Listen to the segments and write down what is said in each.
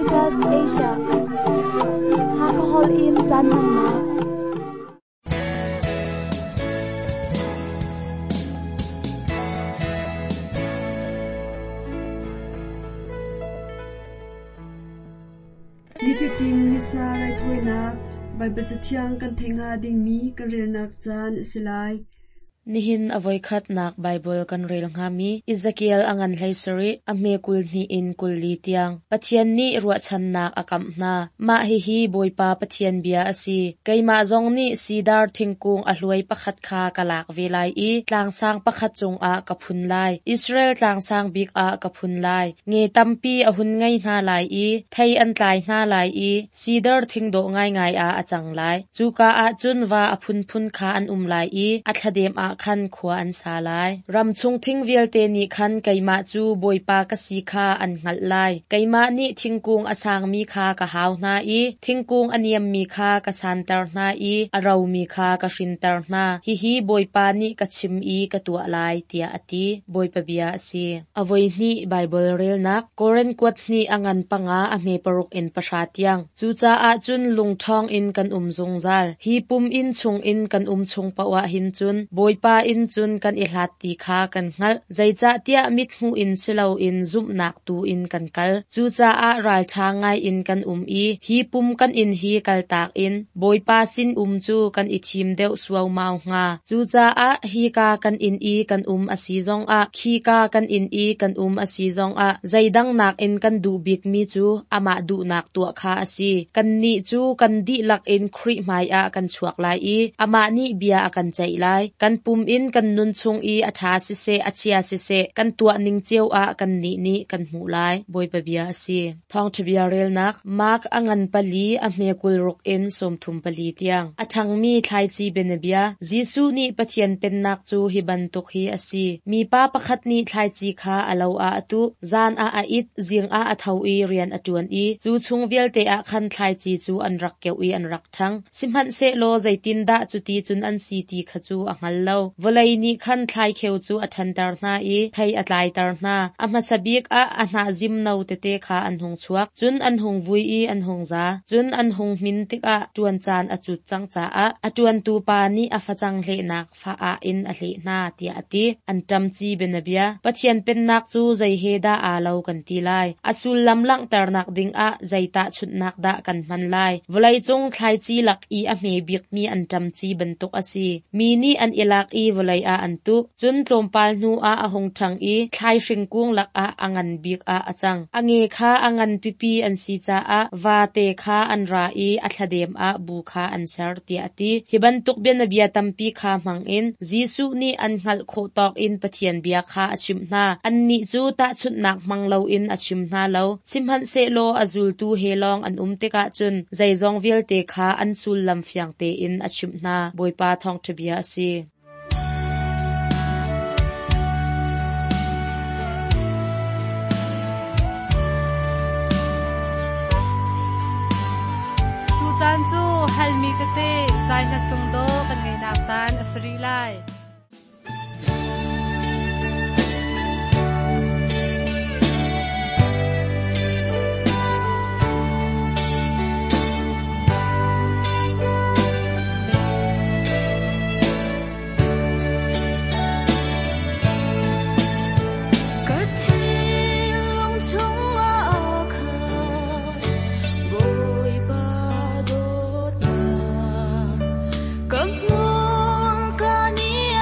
Adventist Asia. Hakahol in caan hmannak. Nifatin Missa raithawinak Baibal Cathiang kan theih hnga dingmi kan relnak caan a si lai. Nihin a voikhatnak Baibal kan rel hngami Ezekiel a ngan hlei sarih, a hme 22 in 24 tiang. Pathian nih ruahchannak a kamh hna. Mah hihi Bawipa Pathian bia a si. Keimah zong nih sidar thingkung a hluai pakhat kha ka lak ve lai i tlangsang pakhat cungah ka phun lai. Israel tlangsang bik ah ka phun lai. Nge tampi a hun ngei hna lai i thei an tlai hna lai i Sidar thing dawh ngaingai ah a cang lai. Cuka ah cun va a phunphun kha an um lai i a thladem ah khan khua an sa lai. Ram chung thing vialte nih khan keimah cu Bawipa ka si kha an hngalh lai. Keimah nih thingkung a sangmi kha ka hau hna i thingkung a niammi kha ka santer hna i a romi kha ka hrinter hna. Hihi Bawipa nih ka chim i ka tuah lai, tiah a ti. Bawipa bia a si. A voihnih Baibal relnak Korin kuat hnih a ngan panga a hme paruk in pahra tiang. Cucaah cun lungṭhawng in kan um zungzal. Hi pum inn chungin kan um chung paoh ah hin cun Bawipa inn cun kan i hlat ti kha kan hngalh. Zeicahtiah mithmuh in si loin zumhnak tu in kan kal. Cucaah ralṭha ngaiin kan um i hi pum kan inn hi kaltak in Bawipa sin um cu kan i thim deuh suaumau hnga. Cucaah hika kan inn i kan um a si zongah, khika kan inn i kan um a si zongah, zeidang nakin kan duh bikmi cu amah duhnak tuah kha a si. Kannih cu kan dihlak in Khrih hmaiah kan chuak lai i amah nih bia a kan ceih lai. Kan pum in kan nun chung i a ṭha siseh, a chia siseh, kan tuah ning cio ah kannih nih kan hmuh lai. Bawipa bia a si. Thawngṭha bia relnak Mark a ngan pali a hme 60 in 34 tiang. A ṭhangmi thlaici bianabia Jesuh nih Pathian Pennak cu hi bantuk hi a si. Mipa pakhat nih thlaici kha a lo ah a tuh, zan ah a it, zing ah a tho i rian a ṭuan i cu chung vialte ah khan thlaici cu an rak keuh i an rak ṭhang. Sihmanhsehlaw zeitindah cuti cun an si ti kha cu a hngal lo. Vawlei nih khan thlaikheu cu a ṭhanter hna i thei a tlaiter hna. A hmasa bik ah a hnah zimno tete kha an hung chuak, cun an hung vui i an hung za. Cun an hung hmin tikah ṭuan caan a cut cang caah a ṭuantu pa nih a facang hlehnak fa-ah in a hleh hna, tiah a ti. Anṭam ci bianabia. Pathian Pennak cu zei he dah aa lo kan ti lai? A sullam langhternak dingah zei tahchunhnak dah kan hman lai? Vawleicung thlaici lak i a hme bikmi anṭam ci bantuk a si. Mi nih an i lak i vawlei ah an tuh. Cun tlawmpal hnu ah a hung ṭhang i thlaihring kung lakah a ngan bik ah a cang. A nge kha a ngan pipi an si caah vate kha an ra i a thladem ah bu kha an ser, tiah a ti. Hi bantuk bianabia tampi kha hmangin Jesuh nih an hngalh khawh tawk in Pathian bia kha a chimh hna. Annih cu tahchunhnak hmang loin a chim hna lo. Sihmanhsehlaw a zultu he lawng an um tikah cun zeizong vialte kha an sullam fiang tein a chimh hna. Bawipa thawngṭha bia a si. Tucaan cu halmi tete zai hla sung dawh kan ngeihnak caan a si rih lai. Ka thinlung chungah khan Bawipa dawtnak ka hmurka nih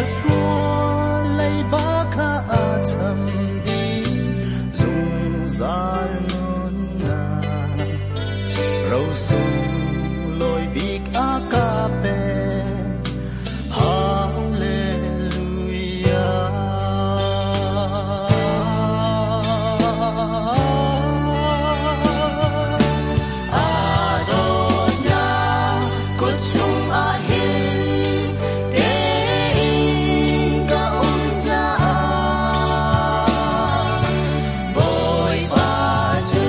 sual leiba kha a cham dih, zungzal nunnak ro sunglawi bik a ka pek. Hallelujah. Aa dawtnak kut chungah hin tein ka um caah Bawipa cu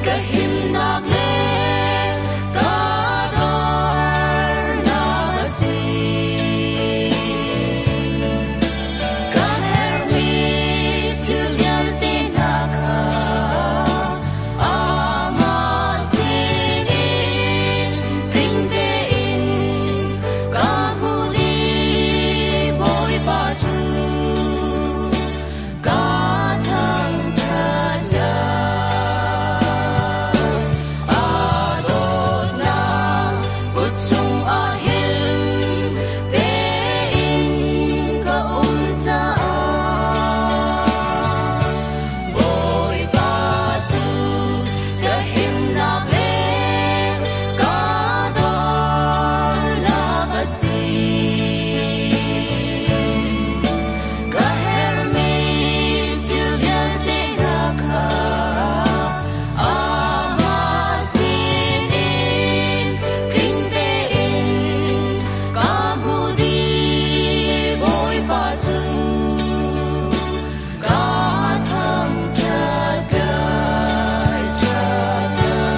ka himnak le ka dornak a si. Ka herhmi thil vialte hna kha amah sinin tling tein ka hmuh dih. Bawipa cu ka thangṭhat lai. Aa dawtnak kut chungah hin tein ka um caah Bawipa cu ka himnak le ka dornak a si. Ka herhmi thil vialte hna kha amah sinin tling tein ka hmuh dih. Bawipa cu ka thangṭhat lai, ṭhat lai.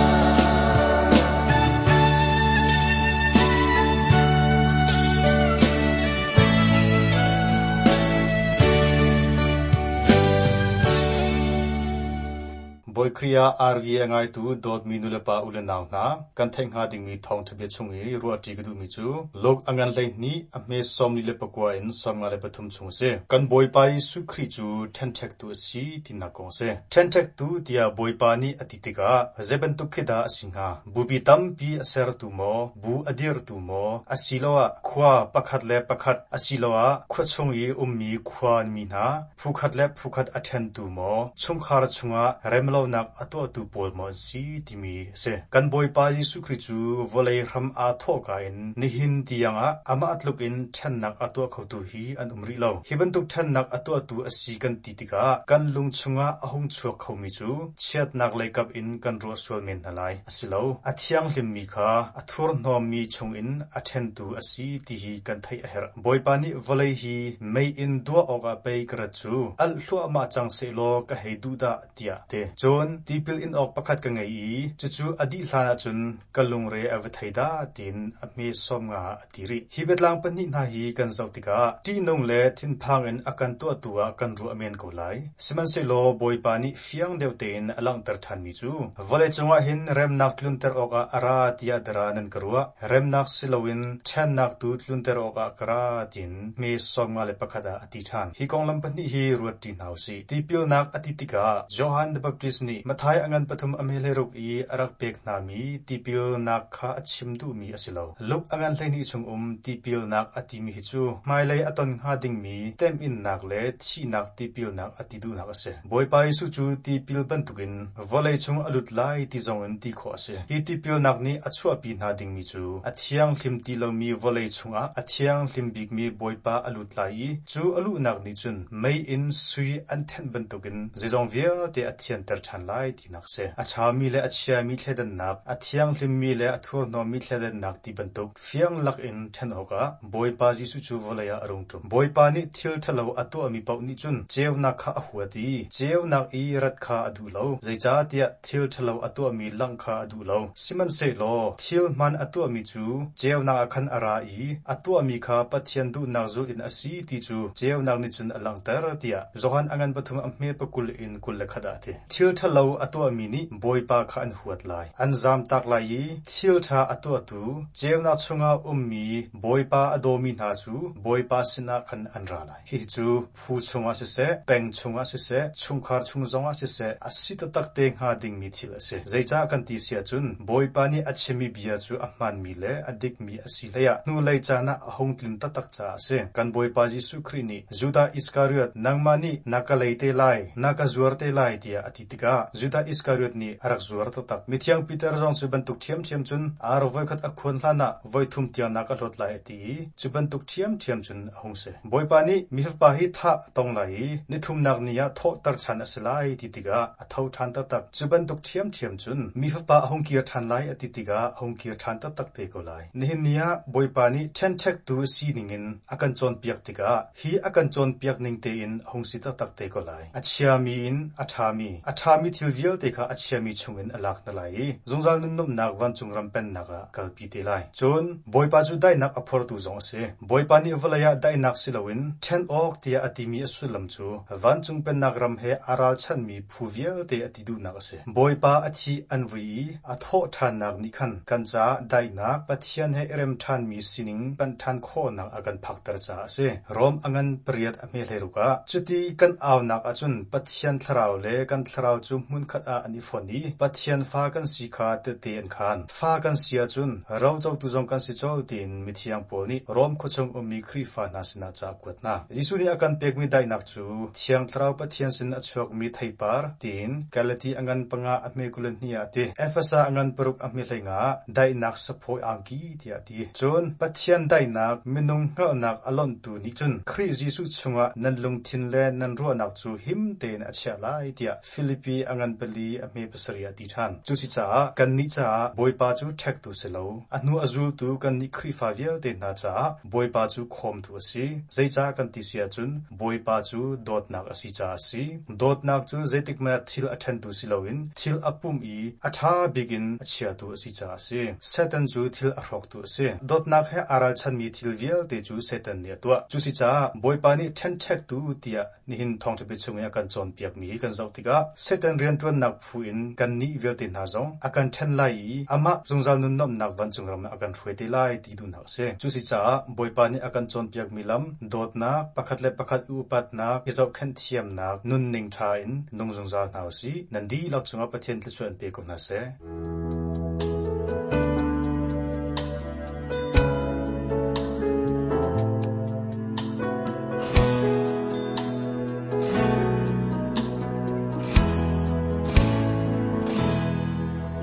Bawi Khrih ah RV a ngaitu dawtmi nulepa u le nau hna, kan theih hnga dingmi thawngṭha bia chung i ruahṭi ka duhmi cu Luke a ngan 12 a hme 44 in 53 chung a si. Kan Bawipa Jesuh Khrih cu ṭhenṭhektu a si tinak kong a si. Ṭhenṭhektu tiah Bawipa nih a ti tikah zei bantuk khi dah a si hnga? Bupi tampi a sertu maw, bu a dirhtu maw, asiloah khua pakhat le pakhat asiloah khua chung i ummi khuami hna phukhat le phukhat a ṭhentu maw, chungkhar chungah remlonak a tuahtu pawl maw an si timi a si. Kan Bawipa Jesuh Khrih cu vawlei hram aa thawhka in nihin tiangah amah tluk in ṭhennak a tuah khotu hi an um rih lo. Hi bantuk ṭhennak a tuahtu a si kan ti tikah kan lung chungah a hung chuak khomi cu chiatnak leikap in kan ruah sual men hna lai. A si lo. A thianghlimmi kha a thurhnawmmi chungin a ṭhentu a si ti hi kan theih a herh. Bawipa nih vawlei hi mei in duah awkah pei ka rat cu, alh hluahmah cang sehlaw ka hei duh dah, tiah a ti. Cun tipil in awk pakhat ka ngei i cucu a dih hlanah cun ka lungre a va thei dah tiin a hme 50 ah a ti rih. Hi biatlang pahnih hna hi kan zoh tikah ṭihnung le thinphang in a kan tuahtu ah kan ruah men ko lai. Sihmanhsehlaw Bawipa nih fiang deuh tein a langhter ṭhanmi cu, vawleicung ah hin remnak tlunter awkah a ra tiah dara nan ka ruah, remnak si loin ṭhennak tu tlunter awkah ka ra tiin hme 51 ah a ti ṭhan. Hi konglam pahnih hi ruat ṭi hna u sih. Tipilnak a ti tikah Johan the Baptist nih Matthai a ngan pathum a hme hleiruk i a rak pek hnami tipilnak kha a chim duhmi a si lo. Luke a ngan 12 chung um tipilnak a timi hi cu hmailei a ton hnga dingmi temhinnak le thihnak tipilnak a ti duhnak a si. Bawipa Jesuh cu tipil bantukin vawlei chung a lut lai ti zongin ti khawh a si. Hi tipilnak nih a chuahpi hna dingmi cu a thianghlim ti lomi vawlei chungah a thianghlim bikmi Bawipa a lut lai i cu a luhnak nih cun mei in sui an thenh bantukin zeizong vialte a thianter ṭhan lai tinak a si. A ṭhami le a chiami thleidannak, a thianghlimmi le a thurhnawmmi thleidannak ti bantuk fiang lakin ṭhen awkah Bawipa Jesuh cu vawlei ah a rung ṭum. Bawipa nih thil ṭhalo a tuahmi paoh nih cun ceunak kha a huat i ceunak i rat kha a duh lo, zeicahtiah thil ṭhalo a tuahmi langh kha a duh lo. Sihmanhsehlaw thil hmaan a tuahmi cu ceunak ah khan a ra i a tuahmi kha Pathian duhnak zulh in a si ti cu ceunak nih cun a langhter, tiah Johan a ngan pathum a hme pakul in 21 ah a ti. Thil ṭhalo. ṭhalo a tuahmi nih Bawipa kha an huat lai, an zamtak lai i thil ṭha a tuahtu, ceunak chungah a ummi Bawipa a dawmi hna cu Bawipa sinah khan an ra lai. Hihi cu phu chungah siseh, peng chungah siseh, chungkhar chung zongah siseh, a si taktak te hnga dingmi thil a si. Zeicah kan ti si ahcun Bawipa nih a chimmi bia cu a hmaanmi le a dikmi a si hleiah hnulei caan ah a hung tlin taktak caah a si. Kan Bawipa Jesuh Khrih nih Judah Iskariot, nangmah nih na ka lei te lai, na ka zuar te lai tiah a ti tikah Judah Iskariot nih a rak zuar taktak. Mithiang Peter zong cu bantuk ṭhiamṭhiam cun ar voikhat a khuan hlanah voithum tiang na ka hlawt lai a ti i cu bantuk ṭhiamṭhiam cun a hung si. Bawipa nih mi fapa hi thah a tong lai i nithumnak ni ah thawhter ṭhan a si lai ti tikah a tho ṭhan taktak. Cu bantuk ṭhiamṭhiam cun mi fapa a hung kir ṭhan lai a ti tikah a hung kir ṭhan taktak te ko lai. Nihin ni ah Bawipa nih ṭhenṭhektu sining in a kan cawnpiak tikah hi a kan cawnpiak ning tein a hung si taktak te ko lai. A chiami in a ṭhami, a ṭhami thil vialte kha a chiami chungin a lak hna lai i zungzal nunnuamhnak vancung ram pennak ah kalpi te lai. Cun Bawipa cu daihnak a phortu zong a si. Bawipa nih vawlei ah daihnak si loin ṭhen awk tiah a timi a sullam cu vancung pennak ram he aa ralchanhmi phu vialte a ti duhnak a si. Bawipa a thih an vui i a thawh ṭhannak nih khan kan caah daihnak, Pathian he i rem ṭhanmi sining panh ṭhan khawhnak a kan phakter caah a si. Rom a ngan pariat a hme hleiruk ah, cuti kan aunak ahcun Pathian thlarau le kan thlarau cu hmunkhat ah an i fonh i Pathian fa kan si kha tehte an khaan. Fa kan si ahcun rocotu zong kan si colh tiin mithiang Paul nih Rom khuachung ummi Khrihfa hna sinah ca a kuat hna. Jesuh nih a kan pekmi daihnak cu Thiang Thlarau Pathian sin a chuakmi theipar tiin Galati a ngan panga a hme 22 ah a ti. Efesa a ngan paruk a hme hleinga ah daihnak saphawi angki tiah a ti. Cun Pathian daihnak minung hngalhnak a lonhtu nih cun Khrih Jesuh chungah nan lungthin le nan ruahnak cu him tein a chiah lai tiah Filipi a ngan pali a hme pasarih ah a ti ṭhan. Cusicaah kannih caah Bawipa cu ṭhektu si lo, a hnu a zultu kannih Khrihfa vialte hna caah Bawipa cu khawmtu a si. Zeicah kan ti si ahcun Bawipa cu dawtnak a si caah a si. Dawtnak cu zeitikhmanh ah thil a ṭhentu si loin thil a pumh i a ṭha bik in a chiatu a si caah a si. Satan cu thil a hrawktu a si. Dawtnak he aa ralchanmi thil vialte cu Satan nih a tuah. Cusicaah Bawipa nih ṭhenṭhektu tiah Nihin thawngṭha bia chung i a kan cawnpiakmi hi kan zoh tikah Satan rianṭuannak phu in kannih vialte hna zong a kan ṭhen lai i amah zungzal nunnuamhnak vancung ram ah a kan hruai te lai ti duhnak a si. Cuasicaah Bawipa nih a kan cawnpiakmi lam, dawtnak, pakhat le pakhat i upatnak, i zohkhenh thiamnak, nunning ṭha in nung zungzal hna u sih. Nan dihlak cungah Pathian thluachuah in pe ko hna seh.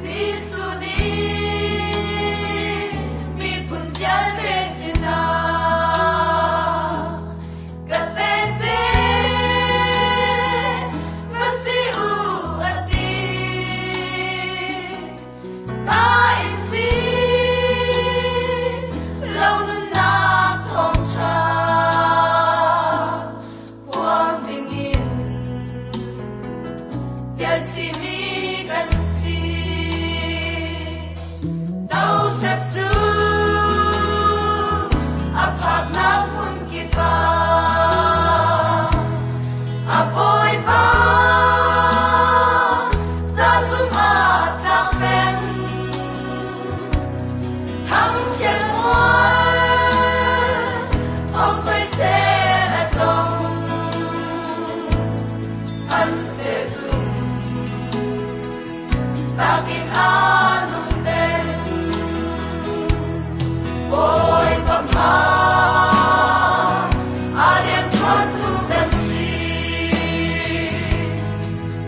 Jesuh nih miphun vialte sinah ka tehte va si u a ti. Ka in si lo nunnak thawngṭha phuang dingin fialchihmi kan si. Joseph cu a phaknak hmun kip ah a bawipa ca zumh tlak peng. Thangchiat mual thong soisel a tong. An sehzung takin a nung peng. Bawipa hmai a rianṭuantu kan si.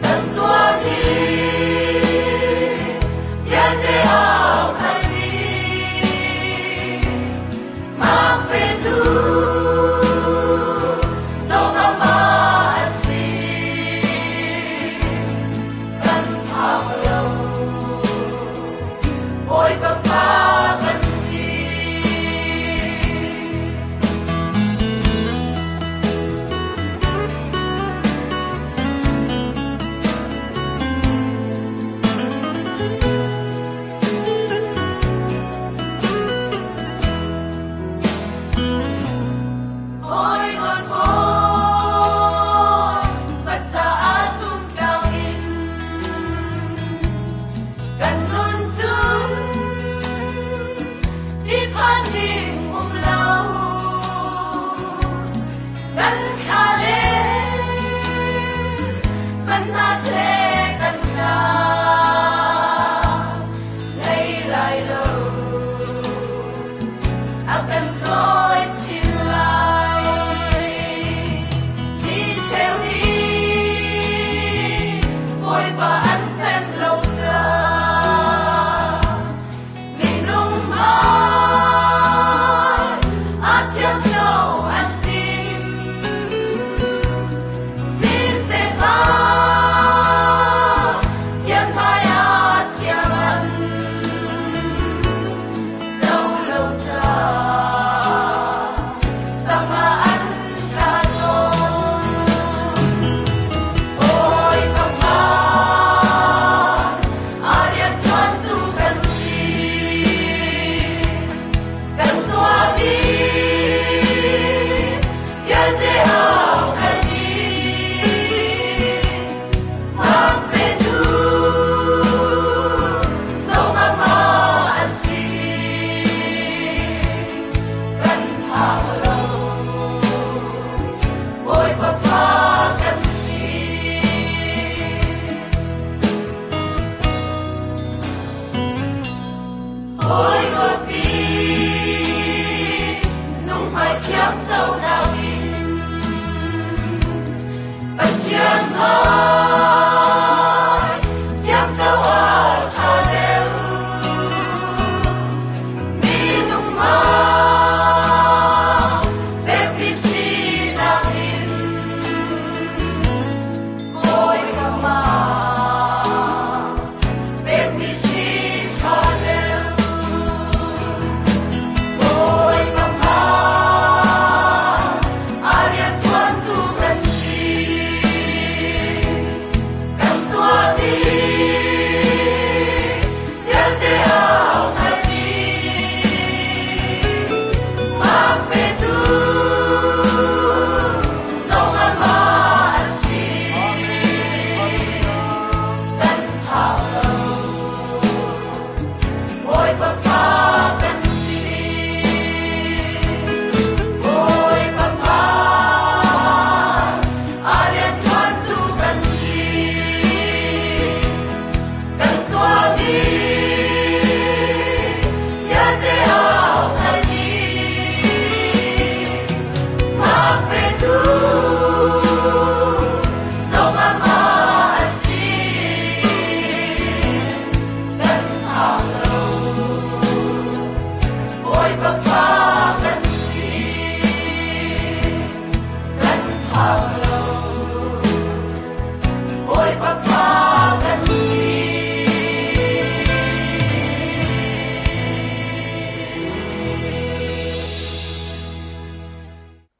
Kan tuahmi vialte au hngal dih. Mak petu zong amah a si. Kan phak lo.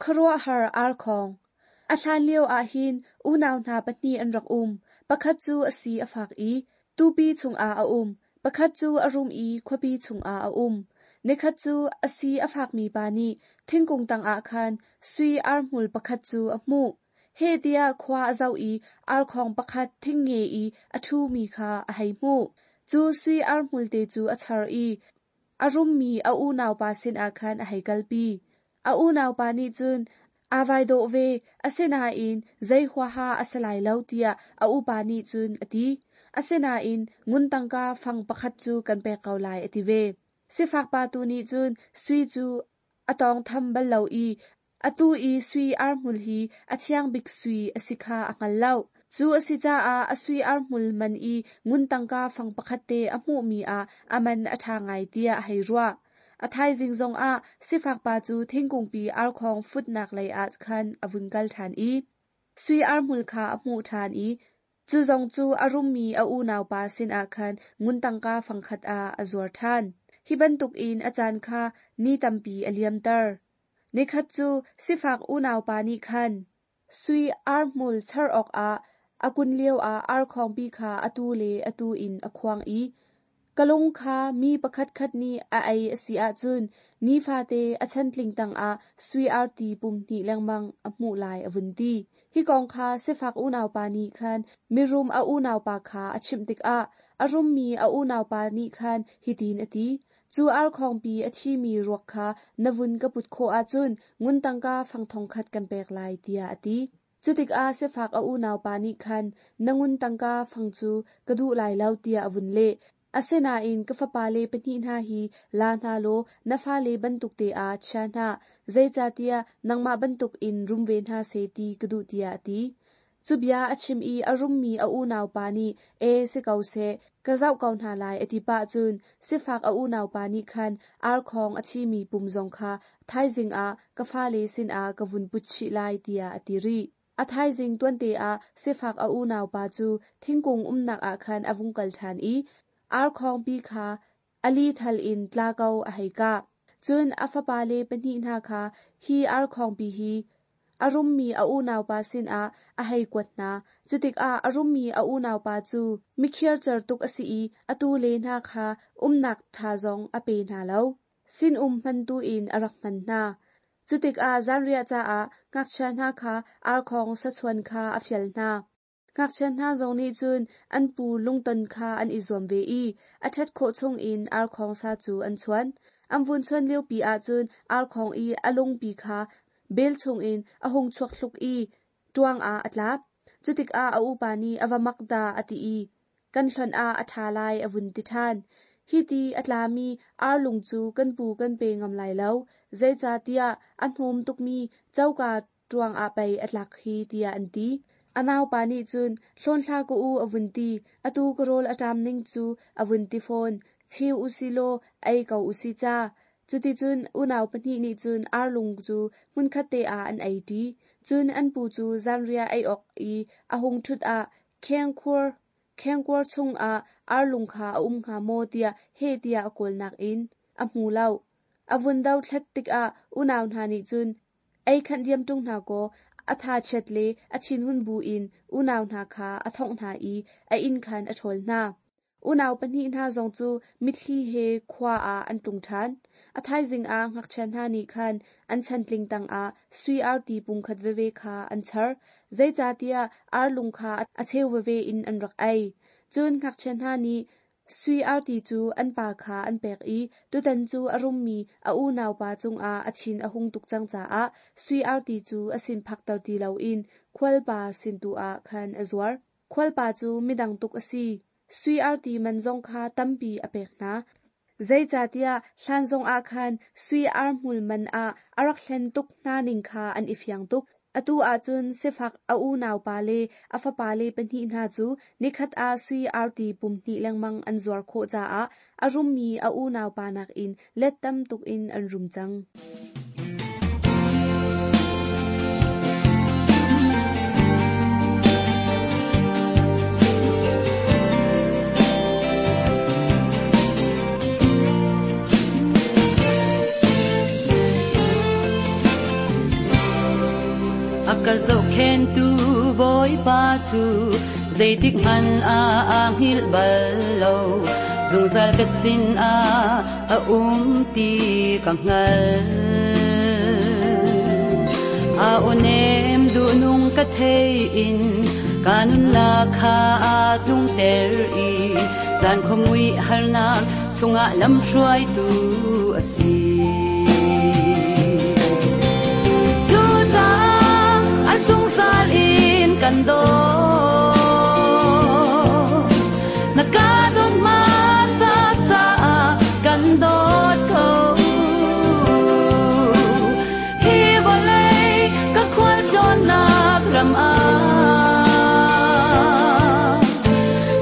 Khuaruahhar arkhong. A hlan lio ahhin unau hna pahnih an rak um. Pakhat cu a si a fak i tupi chungah a um. Pakhat cu a rum i khuapi chungah a um. Nikhat cu a si a fakmi pa nih thingkung tangah khan sui arhmul pakhat cu a hmuh. Heh tiah khua a zoh i arkhong pakhat thingnge i a ṭhumi kha a hei hmuh. Cu sui arhmul te cu a char i a rummi a unaupa sinah khan a hei kalpi. A unaupa nih cun aa vai dawh ve, asinain zei huaha a si lai lo tiah a upa nih cun a ti. Asinain ngun tangka fang pakhat cu kan pek ko lai a ti ve. Sifak pa tu nih cun sui cu a tawngtham bal lo i atu i sui arhmul hi a thiang bik sui a si kha a hngal lo. Cu a si caah a sui arhmul man i ngun tangka fang pakhat te a hmuhmi ah a man a ṭha ngai tiah a hei ruah. A thaizing zongah sifak pa cu thingkungpi arkhong futnak lei ah khan a vun kal ṭhan i sui arhmul kha a hmuh ṭhan i cu zong cu a rummi a unaupa sinah khan ngun tangka fangkhat ah a zuar ṭhan. Hi bantukin a caan kha ni tampi a liamter. Nikhat cu sifak unaupa nih khan sui arhmul char awkah a kun lioah arkhongpi kha atu le atu in a khuang i ka lung kha mi pakhatkhat nih a ei a si ahcun nifate a chantling tangah sui arti pum hnih lengmang a hmuh lai a vun ti. Hi kong kha sifak unaupa nih khan mirum a unaupa kha a chimh tikah a rummi a unaupa nih khan hitin a ti: Cu arkhongpi a thimi ruak kha na vun ka put khawh ahcun ngun tangka fang thongkhat kan pek lai tiah a ti. Cutikah sifak a unaupa nih khan na ngun tangka fang cu ka duh lai lo tiah a vun leh. Asinain ka fapale pahnih hna hi la hna law na fale bantuk te ah chia hna, zeicahtiah nangmah bantukin rum ve hna seh ti ka duh tiah a ti. Cu bia a chim i a rummi a unaupa nih ee si ko seh, ka zoh ko hna lai a ti pah cun sifak a unaupa nih khan arkhong a thimi pum zong kha thaizing ah ka fale sinah ka vun put chih lai tiah a ti rih. A thaizing tuante ah sifak a unaupa cu thingkung umnak ah khan a vung kal ṭhan i arkhongpi kha a lithal in tla ko a hei kah. Cun a fapale pahnih hna kha hi arkhongpi hi a rummi a unaupa sinah a hei kuat hna. Cutikah a rummi a unaupa cu mikhiarcer tuk a si i a tule hna kha umnak ṭha zong a pe hna lo. Sinum hman tu in a rak hman hna. Cutikah zanriah caah ngakchia hna kha arkhong sachuan kha a fial hna. Ngakchia hna zong nih cun an pu lungton kha an i zuam ve i a ṭhat khawh chungin arkhong sa cu an chuan. An vun chuan liopi ahcun arkhong i a lungpi kha bel chungin a hung chuak hluk i ṭuang ah a tla. Cutikah a upa nih a va mak dah a ti i kan hlonh ah a ṭha lai a vun ti ṭhan. Hi ti a tlami arlung cu kan pu kan pe ngam lai lo, zeicahtiah a hnawm tukmi coka ṭuang ah pei a tlak hi tiah an ti. A naupa nih cun hlawn hlah ka u a vun ti, atu ka rawl a ṭam ning cu a vun ti fawn, cheu usilaw ei ko usih ca. Cuticun unau pahnih nih cun arlung cu hmunkhat te ah an ei ṭi. Cun an pu cu zanriah ei awk i a hung ṭhut ah khengkuar chungah arlung kha a um hnga maw tiah heh tiah a kawlnak in a hmu lo. A vun dothlat tikah unau hna nih cun ei khanh diam ṭung hna kaw a thachiat le a thinhun buin unau hna kha a thongh hna i a inn khan a ṭhawl hna. Unau pahnih hna zong cu mitthli he khua ah an tlung ṭhan. A thaizing ah ngakchia hna nih khan an chantling tangah sui arti pungkhat veve kha an char, zeicahtiah arlung kha a cheu veve in an rak ei. Cun ngakchia hna nih sui arti cu an pa kha an pek i tutan cu a rummi a unaupa cungah a thin a hung tuk cang caah sui arti cu a sin phakter ti loin khualpa sin tu ah khan a zuar. Khualpa cu midang tuk a si. Sui arti man zong kha tampi a pek hna. Zeicahtiah hlan zongah khan sui arhmul man ah a rak hlen tuk hna ning kha an i fiang tuk. Atu ahcun sifak a unaupa le a fapale pahnih hna cu nikhat ah sui arti pum hnih lengmang an zuar khawh caah a rummi a unaupa nakin let tam tuk in an rum cang. Ka zohkhenhtu Bawipa cu zeitik hmanh ah aa hngilh bal lo. Zungzal ka sin ah a um ti ka hngalh. A aw nem duhnung ka thei in ka nunnak kha aa tlungter i caan khuamui harnak chungah lamhruaitu a si. Cucaah a zungzal in kan dawt. Na ka dawt hmasa caah kan dawt ko. Hi vawlei ka khualtlawnnak ram ah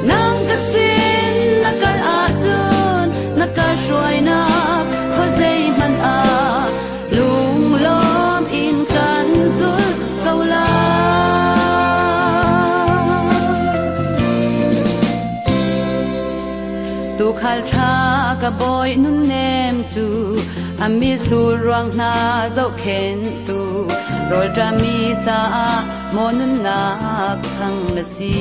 nang ka sin na kal ahcun na ka hruainak khuazei hmanh ah lunglawm in kan zulh ko lai. Tuukhal ṭha ka bawi nunnem cu a mitsur ruang hna zohkhenhtu rawlṭami caah maw nunnak chang na si.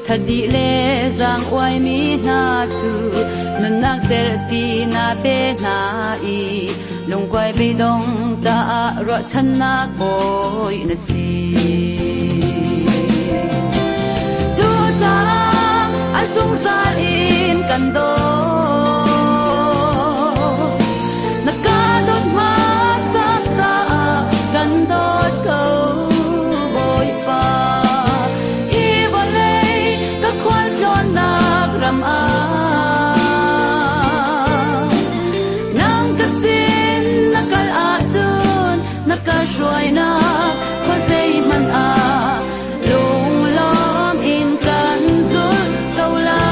Thadi le zaang uaimi hna cu nunnak cerhti na pe hna i lungkuai beidong caah ruahchannak bawi na si. Cucaah an zungzal in kan dawt. Na ka dawt hmasa caah kan dawt ko, Bawipa. Hi vawlei ka khualtlawnnak ram ah nang ka sin na kal ahcun na ka hruainak khuazei hmanh ah lunglawm in kan zulh ko lai.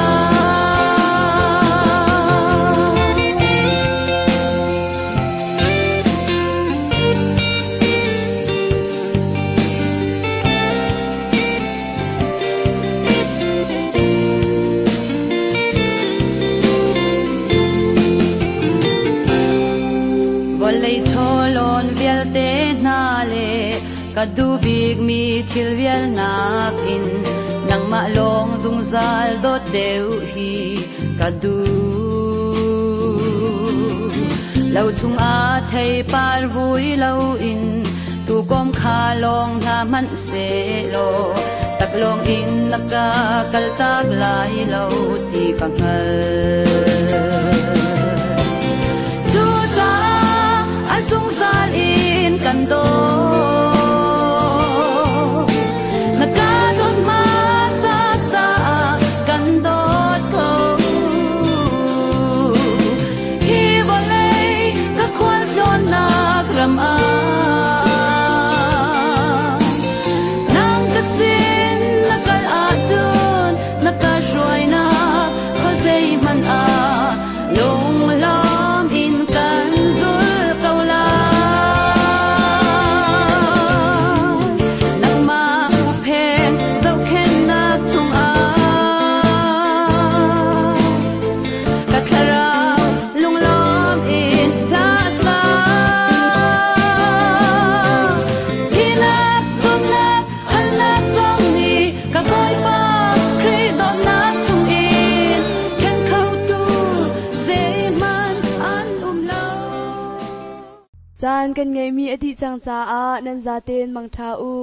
Vawlei chawlawn vialte hna le ka duh bikmi thil vialnak in nangmah lawng zungzal dawt deuh hi ka duh. Lo chungah theipar vui loin tuukawm kha lawng hna hmanh sehlaw taklawng in na ka kaltak lai lo ti ka hngalh. Cucaah a zungzal in kan dawt. Na ka dawt hmasa caah kan dawt ko. Hi vawlei ka khualtlawnnak ram ah nang ka sin na kal ahcun na ka hruainak khuazei hmanh ah lunglawm in kan zulh ko lai. Nangmah huhphen zohkhenhnak chungah ka thlarau lunglawm in hla sa. Thihnak, zumhnak, halnak zong nih ka Bawipa Khrih dawtnak chungin ṭhen khotu zeihmanh an um lo. Caan kan ngeihmi a dih cang caah nan zaten mangṭha u.